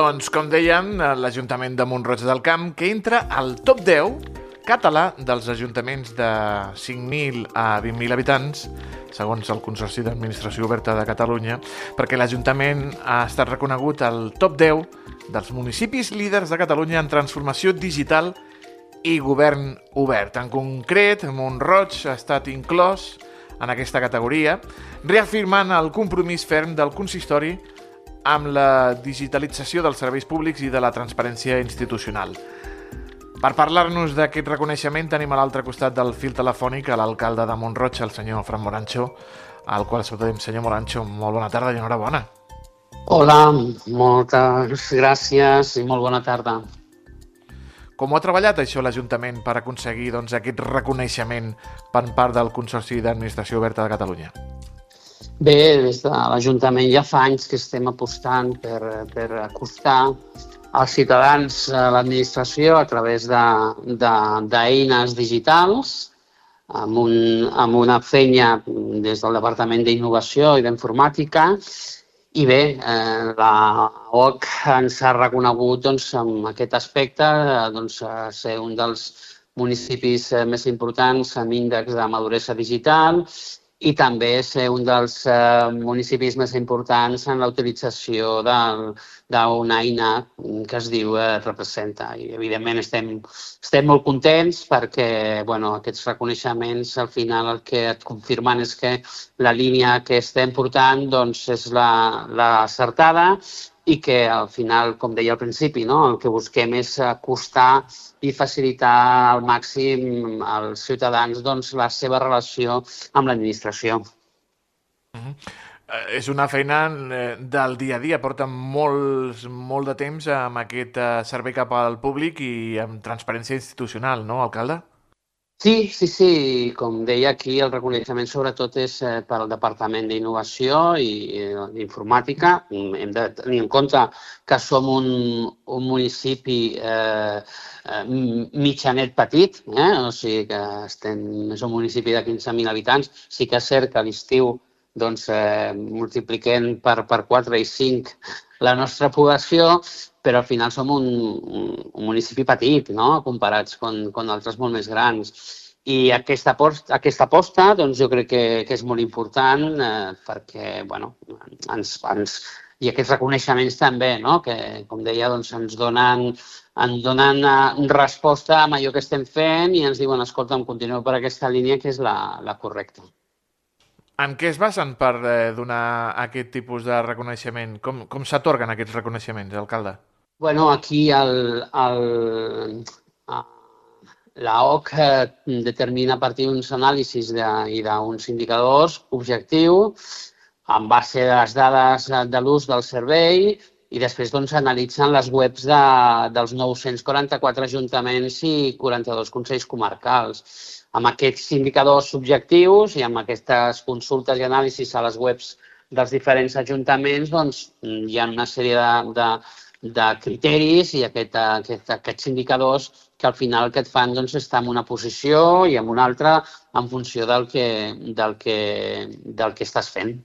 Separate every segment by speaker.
Speaker 1: Doncs, com dèiem, l'Ajuntament de Mont-roig del Camp, que entra al top 10 català dels ajuntaments de 5.000 a 20.000 habitants, segons el Consorci d'Administració Oberta de Catalunya, perquè l'Ajuntament ha estat reconegut al top 10 dels municipis líders de Catalunya en transformació digital i govern obert. En concret, Mont-roig ha estat inclòs en aquesta categoria, reafirmant el compromís ferm del consistori amb la digitalització dels serveis públics i de la transparència institucional. Per parlar-nos d'aquest reconeixement tenim a l'altre costat del fil telefònic a l'alcalde de Mont-roig, el senyor Fran Morancho, al qual saludem. Senyor Morancho, molt bona tarda i enhorabona.
Speaker 2: Hola, moltes gràcies i molt bona tarda.
Speaker 1: Com ho ha treballat això l'Ajuntament per aconseguir aquest reconeixement per part del Consorci d'Administració Oberta de Catalunya?
Speaker 2: Bé, des de l'Ajuntament ja fa anys que estem apostant per acostar als ciutadans a l'administració a través d'eines digitals, amb una feina des del Departament d'Innovació i d'Informàtica. I bé, la OC ens ha reconegut amb aquest aspecte, ser un dels municipis més importants amb índex de maduresa digital i també ser un dels municipis més importants en la utilització d'una eina que es diu Representa. I, evidentment, estem molt contents perquè aquests reconeixements al final el que et confirmen és que la línia que estem portant és la acertada i que al final, com deia al principi, el que busquem és acostar i facilitar al màxim als ciutadans la seva relació amb l'administració.
Speaker 1: És una feina del dia a dia, porta molt de temps amb aquest servei cap al públic i amb transparència institucional, no, alcalde?
Speaker 2: Sí. Com deia aquí, el reconeixement sobretot és pel Departament d'Innovació i d'Informàtica. Hem de tenir en compte que som un municipi mitjanet petit, o sigui que és un municipi de 15.000 habitants. Sí que és cert que a l'estiu multipliquem per 4 i 5 la nostra població, però al final som un municipi petit, comparats amb altres molt més grans. I aquesta aposta jo crec que és molt important perquè i aquests reconeixements també, que com deia ens donen resposta a allò que estem fent i ens diuen, escolta'm, continueu per aquesta línia que és la correcta.
Speaker 1: En què es basen per donar aquest tipus de reconeixement? Com s'atorguen aquests reconeixements, alcalde?
Speaker 2: Aquí la OC determina a partir d'uns anàlisis i d'uns indicadors objectius en base de les dades de l'ús del servei i després analitzen les webs dels 944 ajuntaments i 42 consells comarcals. Amb aquests indicadors objectius i amb aquestes consultes i anàlisis a les webs dels diferents ajuntaments hi ha una sèrie de criteris i aquests indicadors que al final el que et fan estar en una posició i en una altra en funció del que estàs fent.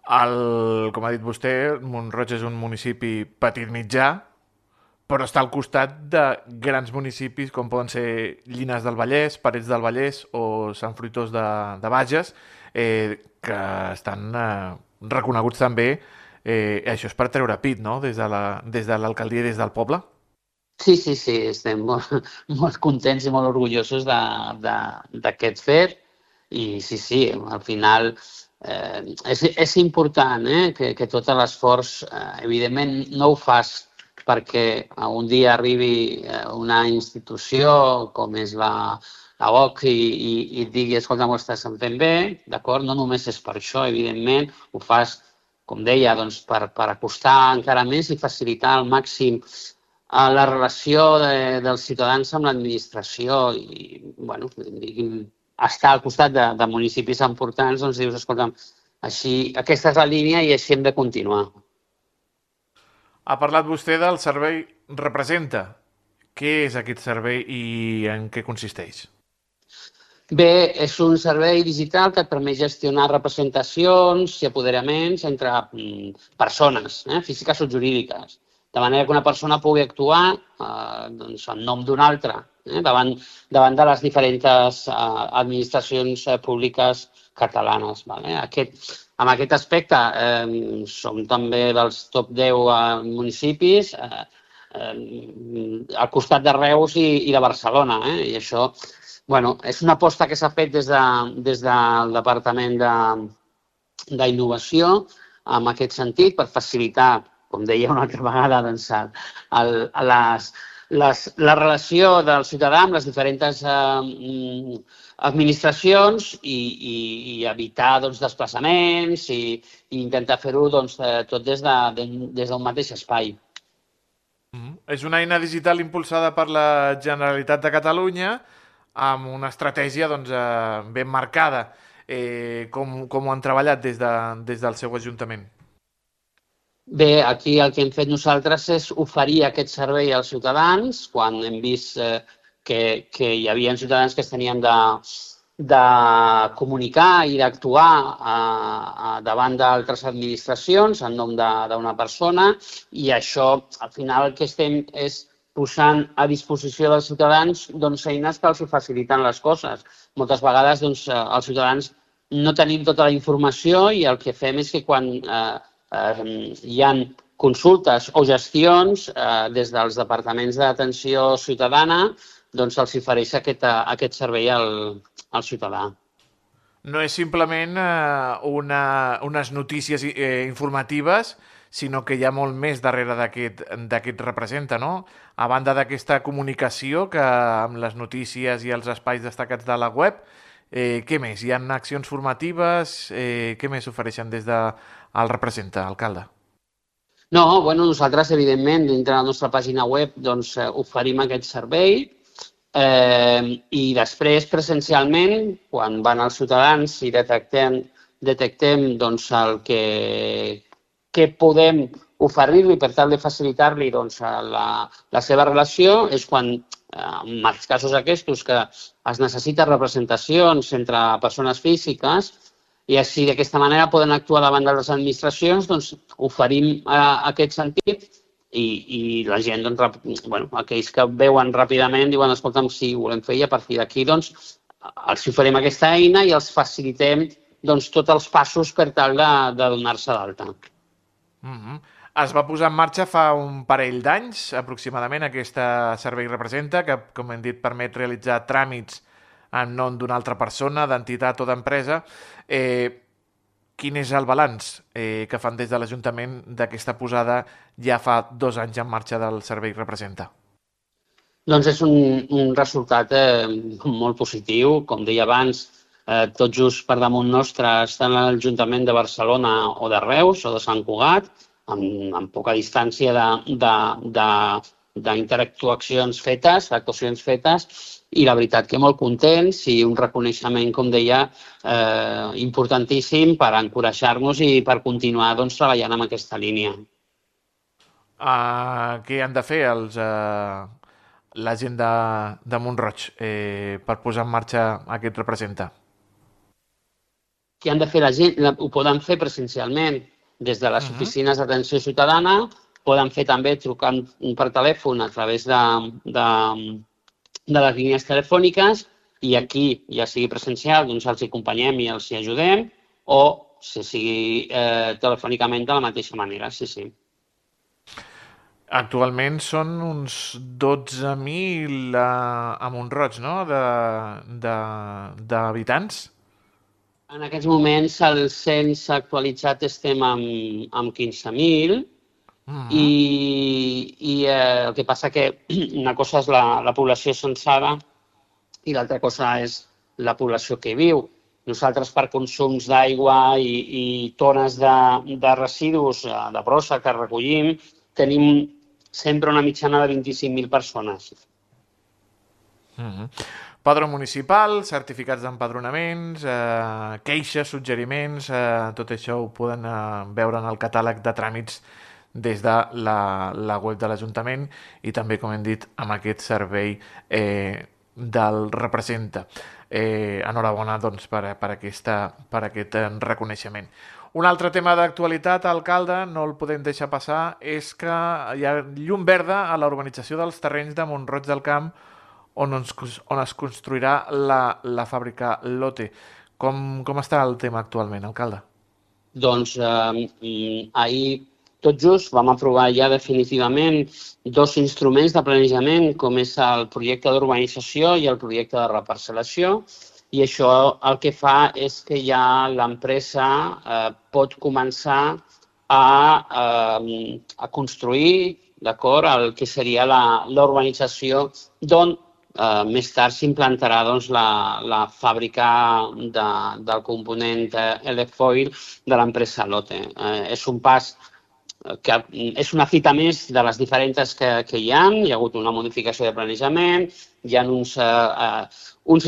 Speaker 1: Com ha dit vostè, Mont-roig és un municipi petit-mitjà, però està al costat de grans municipis com poden ser Llinars del Vallès, Parets del Vallès o Sant Fruitós de Bages, que estan reconeguts també. Això és per treure pit, no?, des de l'alcaldia i des del poble?
Speaker 2: Sí, estem molt contents i molt orgullosos d'aquest fet i sí, al final és important que tot l'esforç, evidentment no ho fas perquè un dia arribi una institució com és la OC i et digui, escolta, ho estàs fent bé, d'acord? No només és per això, evidentment, ho fas, com deia, per acostar encara més i facilitar al màxim la relació dels ciutadans amb l'administració i, estar al costat de municipis importants, dius, escolta'm, aquesta és la línia i així hem de continuar.
Speaker 1: Ha parlat vostè del servei Representa. Què és aquest servei i en què consisteix?
Speaker 2: Bé, és un servei digital que et permet gestionar representacions i apoderaments entre persones, físiques o jurídiques, de manera que una persona pugui actuar doncs, en nom d'una altra davant de les diferents administracions públiques catalanes. Vale? En aquest aspecte som també dels top 10 municipis al costat de Reus i de Barcelona. I això és una aposta que s'ha fet des del Departament d'Innovació en aquest sentit per facilitar, com deia una altra vegada, doncs, la relació del ciutadà amb les diferents administracions i evitar desplaçaments i intentar fer-ho tot des d'un mateix espai.
Speaker 1: És una eina digital impulsada per la Generalitat de Catalunya amb una estratègia ben marcada. Com ho han treballat des del seu Ajuntament?
Speaker 2: Bé, aquí el que hem fet nosaltres és oferir aquest servei als ciutadans quan hem vist que hi havia ciutadans que es tenien de comunicar i d'actuar davant d'altres administracions en nom d'una persona i això, al final, el que estem és posant a disposició dels ciutadans eines que els faciliten les coses. Moltes vegades els ciutadans no tenim tota la informació i el que fem és que quan hi ha consultes o gestions des dels departaments d'atenció ciutadana doncs els ofereix aquest servei al ciutadà.
Speaker 1: No és simplement unes notícies informatives, sinó que hi ha molt més darrere d'aquest representa, no? A banda d'aquesta comunicació que amb les notícies i els espais destacats de la web, què més? Hi ha accions formatives? Què més ofereixen des del representa, alcalde?
Speaker 2: No, nosaltres, evidentment, dintre de la nostra pàgina web oferim aquest servei i després, presencialment, quan van els ciutadans i detectem el que podem oferir-li per tal de facilitar-li la seva relació, és quan, en els casos aquests, que es necessiten representacions entre persones físiques i així d'aquesta manera poden actuar davant de les administracions, oferim aquest sentit i la gent, aquells que veuen ràpidament diuen, escolta'm, sí, ho volem fer i a partir d'aquí els oferim aquesta eina i els facilitem tots els passos per tal de donar-se d'alta.
Speaker 1: Es va posar en marxa fa un parell d'anys, aproximadament, aquest servei representa, que, com hem dit, permet realitzar tràmits en nom d'una altra persona, d'entitat o d'empresa. Quin és el balanç que fan des de l'Ajuntament d'aquesta posada ja fa 2 anys en marxa del servei representa?
Speaker 2: Doncs és un resultat molt positiu. Com deia abans, tot just per damunt nostre estan l'Ajuntament de Barcelona o de Reus o de Sant Cugat, amb poca distància d'interactuacions fetes, actuacions fetes, i la veritat que molt contents i un reconeixement, com deia, importantíssim per encoratjar-nos i per continuar treballant en aquesta línia.
Speaker 1: Què han de fer la gent de Mont-roig per posar en marxa aquest representa?
Speaker 2: Què han de fer la gent? Ho poden fer presencialment des de les oficines d'atenció ciutadana, poden fer també trucant per telèfon a través de les línies telefòniques i aquí, ja sigui presencial, els acompanyem i els ajudem o si sigui telefònicament de la mateixa manera, sí.
Speaker 1: Actualment són uns 12.000 a Mont-roig, no?, d'habitants?
Speaker 2: En aquests moments, el cens actualitzat estem amb 15.000 i el que passa que una cosa és la població censada i l'altra cosa és la població que hi viu. Nosaltres, per consums d'aigua i tones de residus de brossa que recollim, tenim sempre una mitjana de 25.000 persones.
Speaker 1: Padró municipal, certificats d'empadronaments, queixes, suggeriments, tot això ho poden veure en el catàleg de tràmits des de la web de l'Ajuntament i també, com hem dit, amb aquest servei del representa. Enhorabona doncs, per aquest reconeixement. Un altre tema d'actualitat, alcalde, no el podem deixar passar, és que hi ha llum verda a la urbanització dels terrenys de Mont-roig del Camp on es construirà la fàbrica Lotte. Com està el tema actualment, alcalde?
Speaker 2: Doncs ahir tot just vam aprovar ja definitivament dos instruments de planejament, com és el projecte d'urbanització i el projecte de reparcel·lació, i això el que fa és que ja l'empresa pot començar a construir, d'acord, el que seria la urbanització d'on més tard s'implantarà la fàbrica del component Elefoil de l'empresa Lotte. És un pas que és una fita més de les diferents que hi ha. Hi ha hagut una modificació de planejament, hi ha uns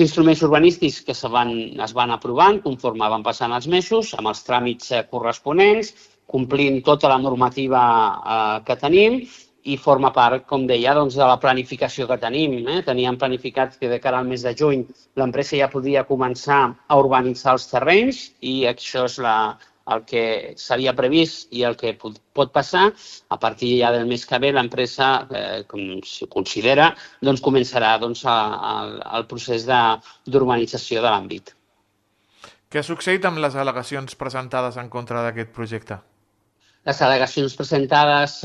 Speaker 2: instruments urbanístics que es van aprovant conforme van passant els mesos, amb els tràmits corresponents, complint tota la normativa que tenim, i forma part, com deia, de la planificació que tenim. Teníem planificat que de cara al mes de juny l'empresa ja podia començar a urbanitzar els terrenys i això és el que s'havia previst i el que pot passar. A partir ja del mes que ve l'empresa, com si considera, començarà el procés d'urbanització de l'àmbit.
Speaker 1: Què ha succeït amb les al·legacions presentades en contra d'aquest projecte?
Speaker 2: Les al·legacions presentades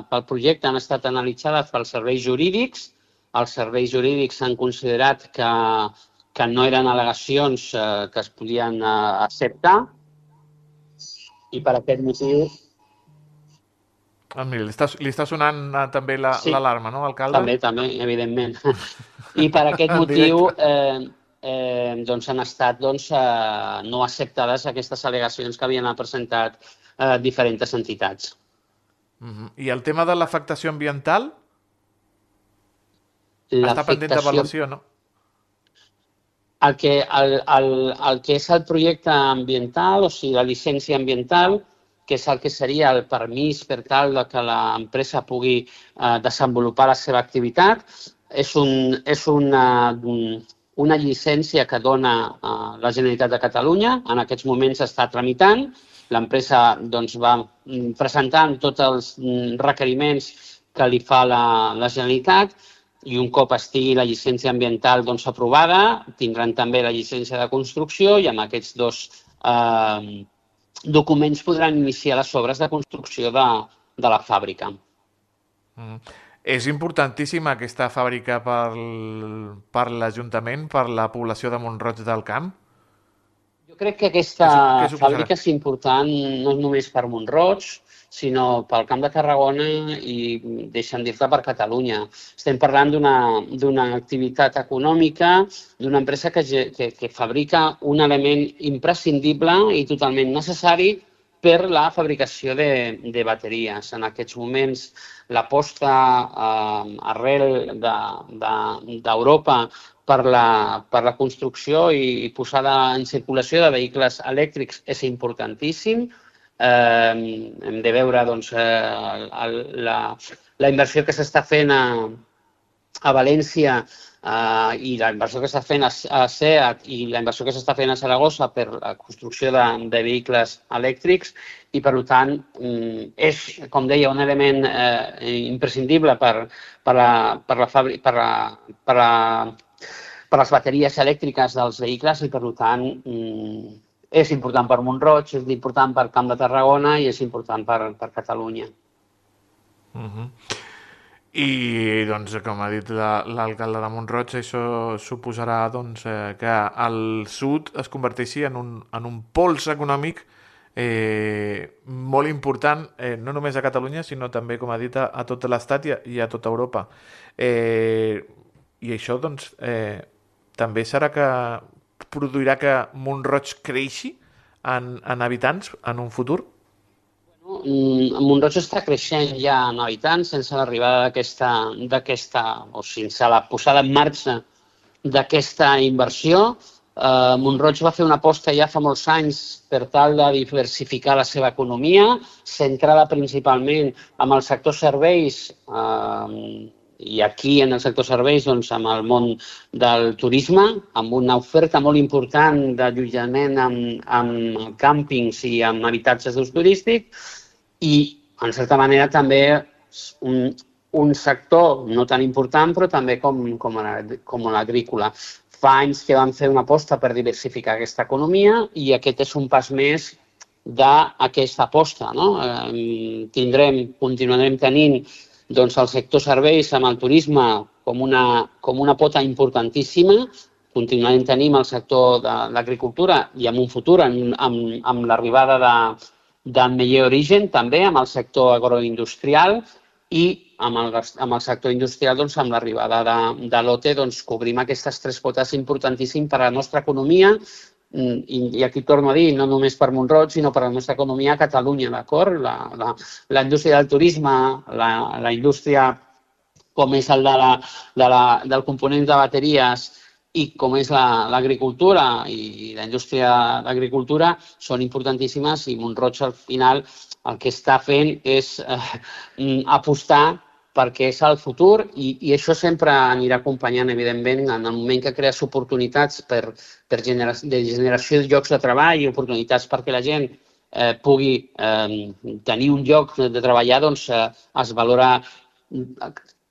Speaker 2: pel projecte han estat analitzades pels serveis jurídics. Els serveis jurídics han considerat que no eren al·legacions que es podien acceptar i per aquest motiu...
Speaker 1: Mira, li està sonant també l'alarma, no, alcalde?
Speaker 2: També, evidentment. I per aquest motiu han estat no acceptades aquestes al·legacions que havien presentat diferents entitats.
Speaker 1: I el tema de l'afectació ambiental? Està pendent d'avaluació, no?
Speaker 2: El que és el projecte ambiental, o sigui, la llicència ambiental, que és el que seria el permís per tal que l'empresa pugui desenvolupar la seva activitat, és una llicència que dona la Generalitat de Catalunya. En aquests moments està tramitant. L'empresa va presentant tots els requeriments que li fa la Generalitat i un cop estigui la llicència ambiental aprovada, tindran també la llicència de construcció i amb aquests dos documents podran iniciar les obres de construcció de la fàbrica.
Speaker 1: És importantíssima aquesta fàbrica per l'Ajuntament, per la població de Mont-roig del Camp?
Speaker 2: Jo crec que aquesta fàbrica és important no només per Mont-roig, sinó pel Camp de Tarragona i, deixa'm dir-te, per Catalunya. Estem parlant d'una activitat econòmica, d'una empresa que fabrica un element imprescindible i totalment necessari per la fabricació de bateries. En aquests moments, l'aposta arrel d'Europa per la construcció i posada en circulació de vehicles elèctrics és importantíssim. Hem de veure la inversió que s'està fent a València i la inversió que s'està fent a SEAT i la inversió que s'està fent a Saragossa per la construcció de vehicles elèctrics i, per tant, és, com deia, un element imprescindible per les bateries elèctriques dels vehicles i, per tant, és important per Mont-roig, és important per Camp de Tarragona i és important per Catalunya.
Speaker 1: I, com ha dit l'alcalde de Mont-roig, això suposarà que el sud es converteixi en un pols econòmic molt important, no només a Catalunya, sinó també, com ha dit, a tot l'Estat i a tota Europa. I això, també serà que produirà que Mont-roig creixi en habitants en un futur?
Speaker 2: Mont-roig està creixent ja en habitants sense l'arribada o sense la posada en marxa d'aquesta inversió. Mont-roig va fer una aposta ja fa molts anys per tal de diversificar la seva economia, centrada principalment en el sector serveis i aquí en el sector serveis, doncs, amb el món del turisme, amb una oferta molt important d'allotjament amb càmpings i amb habitatges d'ús turístic i, en certa manera, també un sector no tan important, però també com l'agrícola. Fa anys que vam fer una aposta per diversificar aquesta economia i aquest és un pas més d'aquesta aposta. Continuarem tenint doncs, el sector serveis amb el turisme com una pota importantíssima, continuarem tenint el sector de l'agricultura i en un futur amb l'arribada del Meller Origen, també amb el sector agroindustrial i amb el sector industrial, doncs, amb l'arribada de l'OTE, doncs, cobrim aquestes tres potes importantíssimes per a la nostra economia i aquí torno a dir, no només per Mont-roig, sinó per a la nostra economia a Catalunya, d'acord? La indústria del turisme, la indústria com és el del component de bateries i com és l'agricultura i la indústria d'agricultura són importantíssimes i Mont-roig al final el que està fent és apostar perquè és el futur i això sempre anirà acompanyant, evidentment, en el moment que crees oportunitats de generació de llocs de treball i oportunitats perquè la gent pugui tenir un lloc de treballar, doncs es valora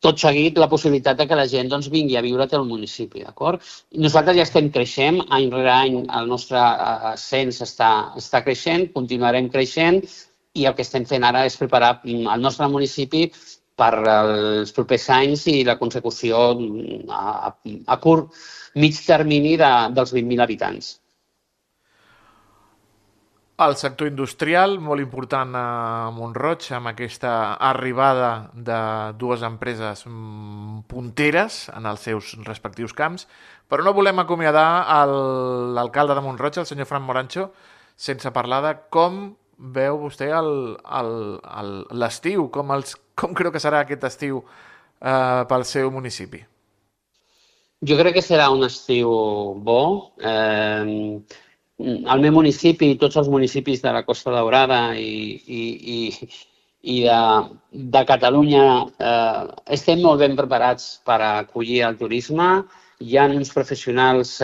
Speaker 2: tot seguit la possibilitat que la gent vingui a viure al municipi, d'acord? Nosaltres ja estem creixent, any rere any el nostre cens està creixent, continuarem creixent i el que estem fent ara és preparar el nostre municipi per als propers anys i la consecució a curt, mig termini dels 20.000 habitants.
Speaker 1: El sector industrial, molt important a Mont-roig, amb aquesta arribada de dues empreses punteres en els seus respectius camps, però no volem acomiadar l'alcalde de Mont-roig, el senyor Fran Morancho, sense parlar de com veu vostè l'estiu, com creu que serà aquest estiu pel seu municipi?
Speaker 2: Jo crec que serà un estiu bo. El meu municipi i tots els municipis de la Costa Daurada i de Catalunya estem molt ben preparats per acollir el turisme. Hi ha uns professionals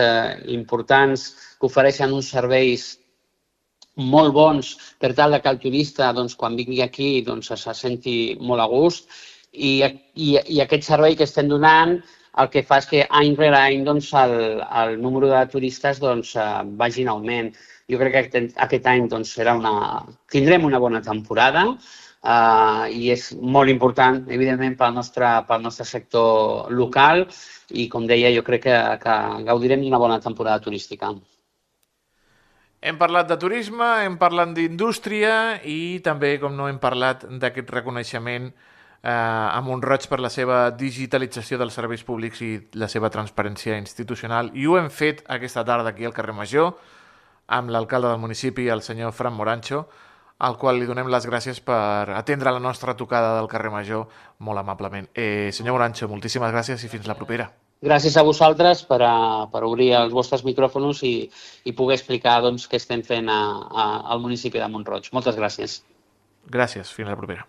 Speaker 2: importants que ofereixen uns serveis molt bons per tal que el turista, quan vingui aquí, se senti molt a gust i aquest servei que estem donant el que fa és que any rere any el número de turistes vagi en augment. Jo crec que aquest any tindrem una bona temporada i és molt important, evidentment, pel nostre sector local i, com deia, jo crec que gaudirem d'una bona temporada turística.
Speaker 1: Hem parlat de turisme, hem parlat d'indústria i també, com no, hem parlat d'aquest reconeixement a Mont-roig per la seva digitalització dels serveis públics i la seva transparència institucional. I ho hem fet aquesta tarda aquí al carrer Major amb l'alcalde del municipi, el senyor Fran Morancho, al qual li donem les gràcies per atendre la nostra tocada del carrer Major molt amablement. Senyor Morancho, moltíssimes gràcies i fins la propera.
Speaker 2: Gràcies a vosaltres per obrir els vostres micròfons i poder explicar què estem fent al municipi de Mont-roig. Moltes gràcies.
Speaker 1: Gràcies, fins la propera.